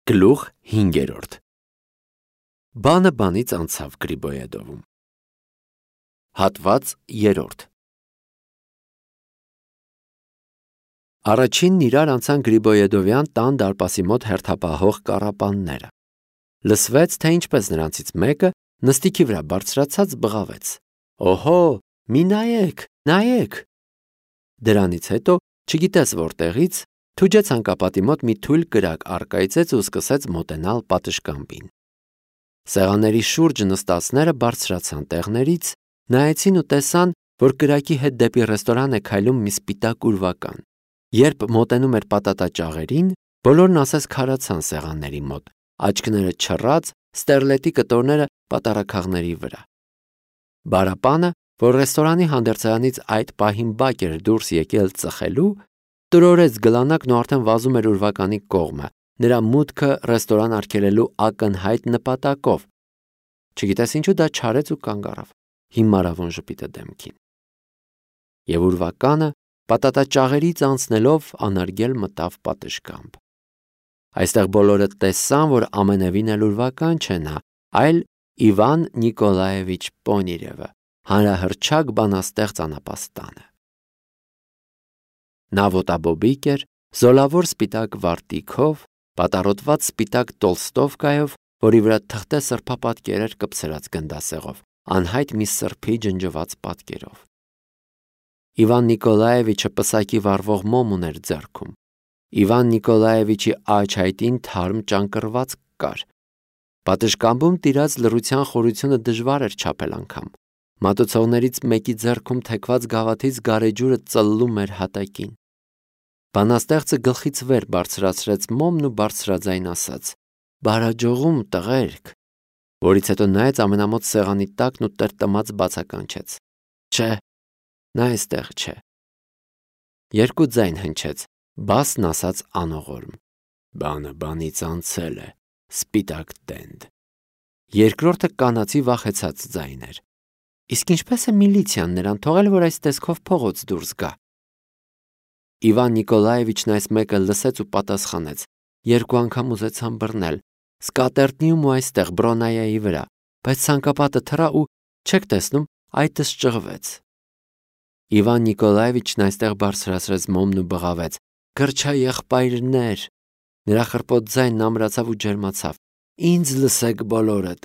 Գլուխ 5. Բանը բանից անցավ Գրիբոյեդովում։ Հատված 3. Առաջինն իրար անցան Գրիբոյեդովյան տան դարպասի մոտ հերթապահող կառապանները։ Լսվեց, թե ինչպես նրանցից մեկը նստիքի վրա բարձրացած բղավեց. «Օհո, մի նայեք»։ Դրանից հետո, չգիտես որտեղից, թուջեց հանկապատի մոտ մի թույլ կրակ առկայծեց ու սկսեց մոտենալ պատշգամբին։ Սեղանների շուրջ նստածները բարձրացան տեղներից, նայեցին ու տեսան, որ կրակի հետ դեպի ռեստորան է քայլում մի սպիտակ ուրվական։ Երբ մոտենում էր պատատաճաղերին, բոլորն ասես քարացան սեղանների մոտ, աչքները չռած, ստերլետի կտորները պատառաքաղների վրա։ Բարապանը, որ ռեստորանի հանդերձարանից այդ պահին բակ էր դուրս եկել ծխելու, տրորեց գլանակն ու արդեն վազում էր ուրվականի կողմը, նրա մուտքը ռեստորան արգելելու ակնհայտ նպատակով։ Չգիտես ինչու դա չարեց ու կանգ առավ, հիմարավուն ժպիտը դեմքին։ Եվ ուրվականը պատատաճաղերից անցնելով անարգել մտավ պատշգամբ։ Այստեղ բոլորը տեսան, որ ամենևին էլ ուրվական չէ նա, այլ Իվան Նիկոլաևիչ Պոնիրևը, հանրահռչակ բանաստեղծ անապաստանը։ Նա ոտաբոբիկ էր, զոլավոր սպիտակ վարտիքով, պատառոտված սպիտակ տոլստովկայով, որի վրա թղթե սրբապատկեր էր կպցրած գնդասեղով, անհայտ մի սրբի ջնջված պատկերով։ Իվան Նիկոլաևիչը պսակի վառվող մոմ ուներ ձեռքում։ Իվան Նիկոլաևիչի աջ-հայտին թարմ ճանկռված կար։ Պատշգամբում տիրած լռության խորությունը դժվար էր չափել անգամ։ Մատուցողներից մեկի ձեռքում թեքված գավաթից գարեջուրը ծլլում էր հատակին։ Բանաստեղծը գլխից վեր բարձրացրեց մոմն ու բարձրաձայն ասաց. «Բարաջողում, տղերք», որից հետո նայեց ամենամոտ սեղանի տակն ու տրտմած բացականչեց. «Չէ, նա այստեղ չէ»։ Երկու ձայն հնչեց, բասն ասաց անողորմ. «Բանը բանից անցել է, սպիտակ տենդ»։ Երկրորդը կանացի վախեցած ձայն էր. «Իսկ ինչպես է միլիցիան նրան թողել, որ այս տեսքով փողոց դուրս գա»։ Իվան Նիկոլաևիչն այս մեկը լսեց ու պատասխանեց. «Երկու անգամ ուզեցան բռնել, սկատերտնիում ու այստեղ Բրոնայայի վրա, բայց ցանկապատը թռա ու չեք տեսնում, այտս ճղվեց»։ Իվան Նիկոլաևիչն այստեղ բարձրացրեց մոմն ու բղավեց. «Գրչա եղբայրներ»։ Նրա խռպոտ ձայնն ամրացավ ու ջերմացավ. «Ինձ լսեք բոլորդ,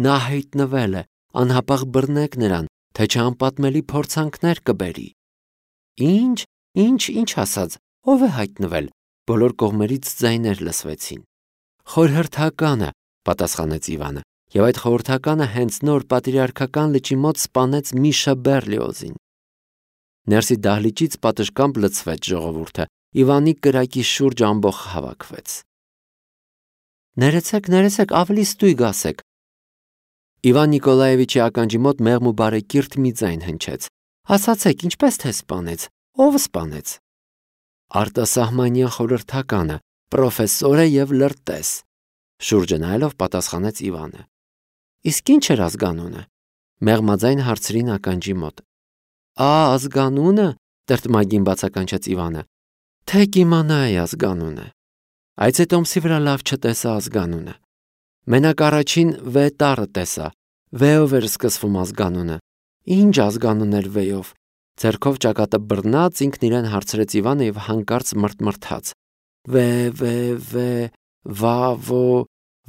նա հայտնվել է, անհապաղ բռնեք նրան, թե չէ անպատմելի փորձանքներ կբերի»։ Ինչ ասաց, ով է հայտնվել։ Բոլոր կողմերից ձայներ լսվեցին։ «Խորհրդականը», պատասխանեց Իվանը, և այդ խորհրդականը հենց նոր պատրիարքական լճի մոտ սպանեց Միշա Բերլիոզին։ Ներսի դահլիճից պատշգամբ լցվեց ժողովուրդը, Իվանի կրակի շուրջ ամբոխ հավաքվեց։ «Ներեցեք, ավելի ստույգ ասեք»։ Իվան Նիկոլաևիչի ականջի մոտ մեղմ ու բարեկիրթ մի ձայն հնչեց. «Ասացեք, ինչպես թե սպանեց, ով սպանեց»։ «Արտասահմանյան խորհրդականը, պրոֆեսորը և լրտես», շուրջը նայելով պատասխանեց Իվանը։ «Իսկ ինչ էր ազգանունը»։ Մեղմաձայն հարցրին ականջի մոտ։ Ազգանունը, տրտմագին բացականչեց Իվանը, թե կիմանայի ազգանունը։ Այցե տոմսի վրա լավ չտեսա ազգանունը։ Մենակ առաջին V տառը տեսա, V-ով էր սկսվում ազգանունը։ Ինչ ազգանուն էր V-ով։ Ձեռքով ճակատը բռնած ինքն իրեն հարցրեց Իվանը և հանկարծ մռթմռթաց.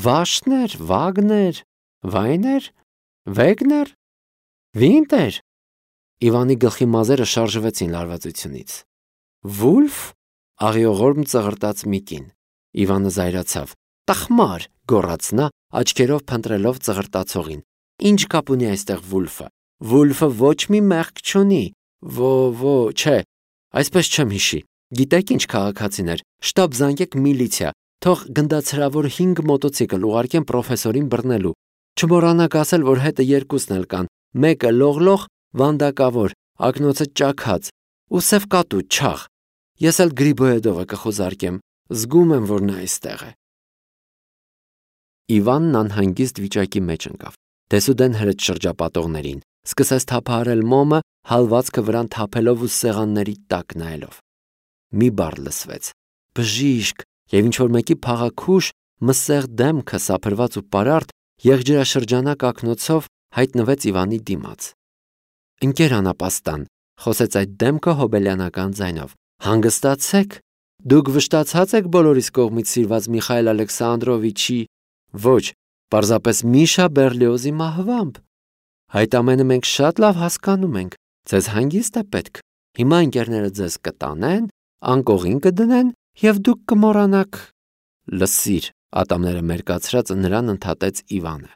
Վաշներ, Վագներ, Վայներ, Վեգներ, Վինտեր։ Իվանի գլխի մազերը շարժվեցին լարվածությունից։ Վուլֆ, աղիողորմ ծղրտաց մի կին։ Իվանը զայրացավ։ Տխմար, գոռաց նա, աչքերով փնտրելով ծղրտացողին։ Ինչ կապ ունի այստեղ Վուլֆը։ Վուլֆը ոչ մի մեղք չունի։ Չէ, այսպես չեմ հիշի։ Գիտեք ինչ քաղաքացիներ, շտապ զանգեք միլիցիա, թող գնդացրավոր 5 մոտոցիկլ ուղարկեն պրոֆեսորին բռնելու։ Չմոռանաք ասել, որ հետը երկուսն էլ կան, մեկը լողլող, վանդակավոր, ակնոցը ճաքած, ու սև կատու չաղ։ Ես էլ Գրիբոյեդովը կխոզարկեմ, զգում եմ, որ նա այստեղ է։ Իվանն անհանգիստ վիճակի մեջ ընկավ, դեսուդեն հրեց շրջապատողներին, սկսեց թափահարել մոմը, հալվածքը վրան թափելով ու սեղանների տակ նայելով։ Մի բառ լսվեց, բժիշկ, և ինչ-որ մեկի փաղաքուշ, մսեղ դեմքը սափրված ու պարարտ եղջերաշրջանակ ակնոցով հայտնվեց Իվանի դիմաց։ «Ընկեր անապաստան», խոսեց այդ դեմքը հոբելյանական ձայնով, «հանգստացեք, դուք վշտացած եք բոլորիս կողմից սիրված Միխայել Ալեքսանդրովիչի, ոչ, պարզապես Միշա Բերլիոզի մահվամբ։ Այդ ամենը մենք շատ լավ հասկանում ենք, ձեզ հանգիստ է պետք։ Հիմա ընկերները ձեզ կտանեն, անկողին կդնեն և դուք կմոռանաք»։ «Լսիր», ատամները մերկացրած նրան ընդհատեց Իվանը,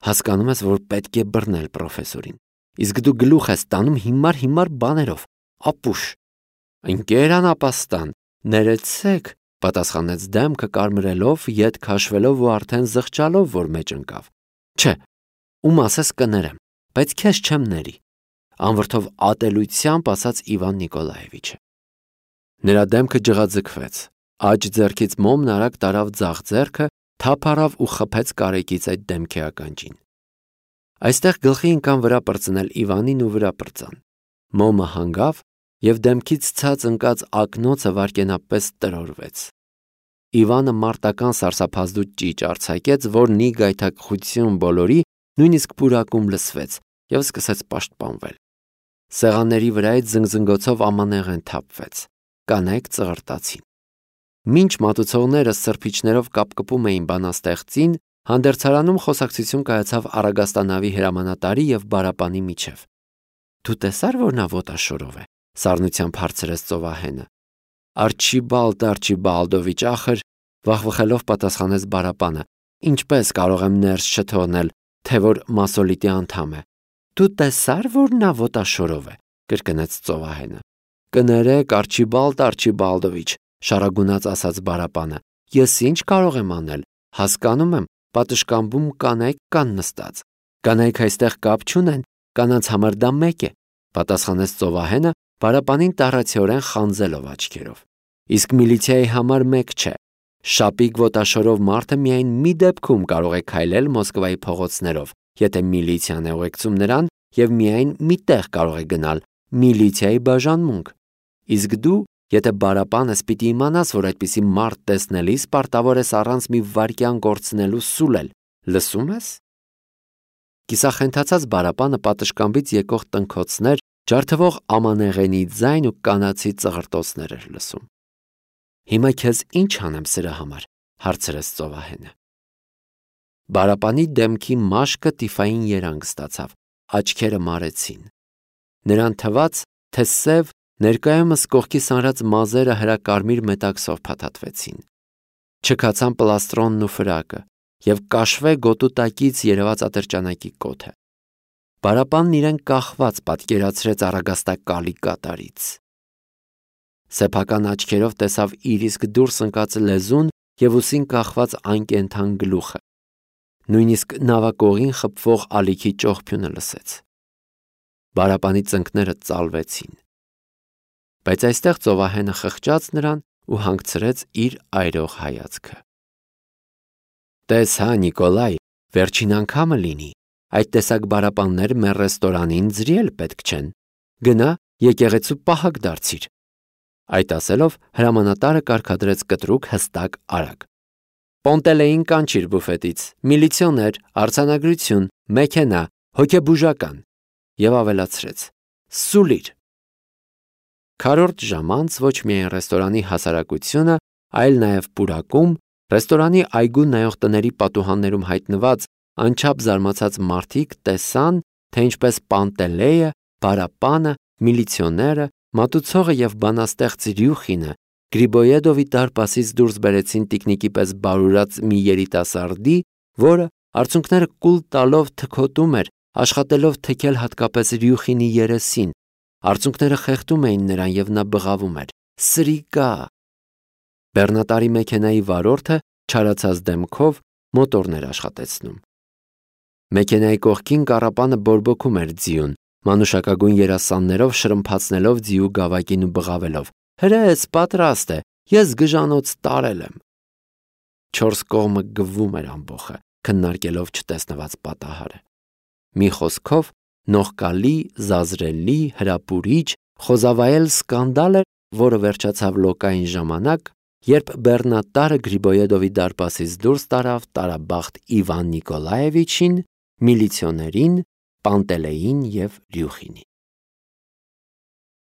«հասկանում ես, որ պետք է բռնել պրոֆեսորին, իսկ դու գլուխ ես տանում հիմար բաներով, ապուշ»։ «Ընկեր անապաստան, ներեցեք», պատասխանեց դեմքը կարմրելով, ետ քաշվելով ու արդեն զղջալով, որ մեջ ընկավ։ «Չէ, ում ասես կներեմ, բայց քեզ չեմ ների», անվրդով ատելությամբ ասաց Իվան Նիկոլաևիչը։ Նրա դեմքը ջղաձգվեց, աջ ձեռքից մոմն արագ տարավ ձախ ձեռքը, թափ առավ ու խփեց կարեկից այդ դեմքի ականջին։ Այստեղ գլխի ընկան վրա պրծնել Իվանին ու վրա պրծան։ Մոմը հանգավ և դեմքից ցած ընկած ակնոցը վայրկենապես տրորվեց։ Իվանը մարտական սարսափազդու ճիճ արձակեց, որն ի գայթակղություն բոլորի նույնիսկ պուրակում լսվեց և սկսեց պաշտպանվել։ Սեղանների վրայից զնգզնգոցով ամանեղեն թափվեց, կանայք ծղրտացին։ Մինչ մատուցողները սրբիչներով կապկպում էին բանաստեղծին, հանդերձարանում խոսակցություն կայացավ Առագաստանավի հրամանատարի և Բարապանի միջև։ «Դու տեսար, որ նա ոտաշորով է», սառնությամբ հարցրեց ծովահենը։ Արչիբալդովիչ ախր, վախվխելով պատասխանեց Բարապանը, ինչպես կարող եմ ներս չթողնել, թե որ մասոլիտի անդամ է։ «Դու տեսար, որ նա ոտաշորով է», կրկնեց ծովահենը։ «Կներեք, Արչիբալդովիչ», շարագունաց ասաց Բարապանը, «ես ինչ կարող եմ անել, հասկանում եմ, պատշգամբում կանայք կան նստած։ Կանայք այստեղ կապ չունեն, կանանց համար դա մեկ է», պատասխանեց ծովահենը, Բարապանին տառացիորեն խանձելով աչքերով։ «Իսկ միլիցիայի համար մեկ չէ։ Շապիկ ոտաշորով մարդը միայն մի դեպքում կարող է քայլել Մոսկվայի փողոցներով, եթե միլիցիան է ուղեկցում նրան, և միայն մի տեղ կարող է գնալ՝ միլիցիայի բաժանմունք։ Իսկ դու, եթե Բարապան ես, պիտի իմանաս, որ այդպիսի մարդ տեսնելիս պարտավոր ես առանց մի վայրկյան կորցնելու սուլել, լսում ես»։ Կիսախենթացած Բարապանը պատշգամբից եկող տնքոցներ, ջարդվող ամանեղենի ձայն ու կանացի ծղրտոցներ էր լսում։ «Հիմա քեզ ինչ անեմ սրա համար», հարցրեց ծովահենը։ Բարապանի դեմքի մաշկը տիֆային երանգ ստացավ, աչքերը մարեցին։ Նրան թվաց, թե սև, ներկայումս կողքի սանրած մազերը հրակարմիր մետաքսով փաթաթվեցին։ Չքացան պլաստրոնն ու ֆրակը և կաշվե գոտու տակից երևաց ատրճանակի կոթը։ Բարապանն իրեն կախված պատկերացրեց Առագաստակալի կատարից։ Սեփական աչքերով տեսավ իր իսկ դուրս ընկած լեզուն և ուսին կախված անկենդան գլուխը։ Նույնիսկ նավակողին խփվող ալիքի ճողփյունը լսեց։ Բարապանի ծնկները ծալվեցին։ Բայց այստեղ ծովահենը խղճաց նրան ու հանգցրեց իր այրող հայացքը։ «Տես հա, Նիկոլայ, վերջին անգամը լինի, այդ տեսակ բարապաններ մեր ռեստորանին ձրիել պետք չեն։ Գնա, եկեղեցու պահակ դարձիր»։ Այդ ասելով հրամանատարը կարգադրեց կտրուկ, հստակ, արագ. «Պոնտելեին կանչիր բուֆետից, միլիցիոներ, արձանագրություն, մեքենա, հոգեբուժական» և ավելացրեց. «Սուլիր»։ Քառորդ ժամ անց ոչ միայն ռեստորանի հասարակությունը, այլ նաև պուրակում, ռեստորանի այգու նայող տների պատուհաններում հայտնված անչափ զարմացած մարդիկ տեսան, թե ինչպես Պանտելեյը, Բարապանը, միլիցիոները, մատուցողը և բանաստեղծ Ռյուխինը Գրիբոյեդովի դարպասից դուրս բերեցին տիկնիկի պես բարուրած մի երիտասարդի, որը արցունքները կուլ տալով թքոտում էր, աշխատելով թքել հատկապես Ռյուխինի երեսին։ Արցունքները խեղդում էին նրան և նա բղավում էր. «Սրիկա»։ Բեռնատարի մեքենայի վարորդը չարացած դեմքով մոտորն էր աշխատեցնում։ Մեքենայի կողքին կառապանը բորբոքում էր ձիուն, մանուշակագույն երասաններով շրմփացնելով ձիու գավակին ու բղավելով. «Հրես, պատրաստ է, ես գժանոց տարել եմ»։ Չորս կողմը գվում էր ամբոխը, քննարկելով չտեսնված պատահարը։ Մի խոսքով, նողկալի, զազրելի, հրապուրիչ, խոզավայել սկանդալ էր, որը վերջացավ լոկային ժամանակ, Երբ բեռնատարը Գրիբոյեդովի դարպասից դուրս տարավ տարաբախտ Իվան Նիկոլաևիչին, միլիցիոներին, Պանտելեին և Ռյուխինին։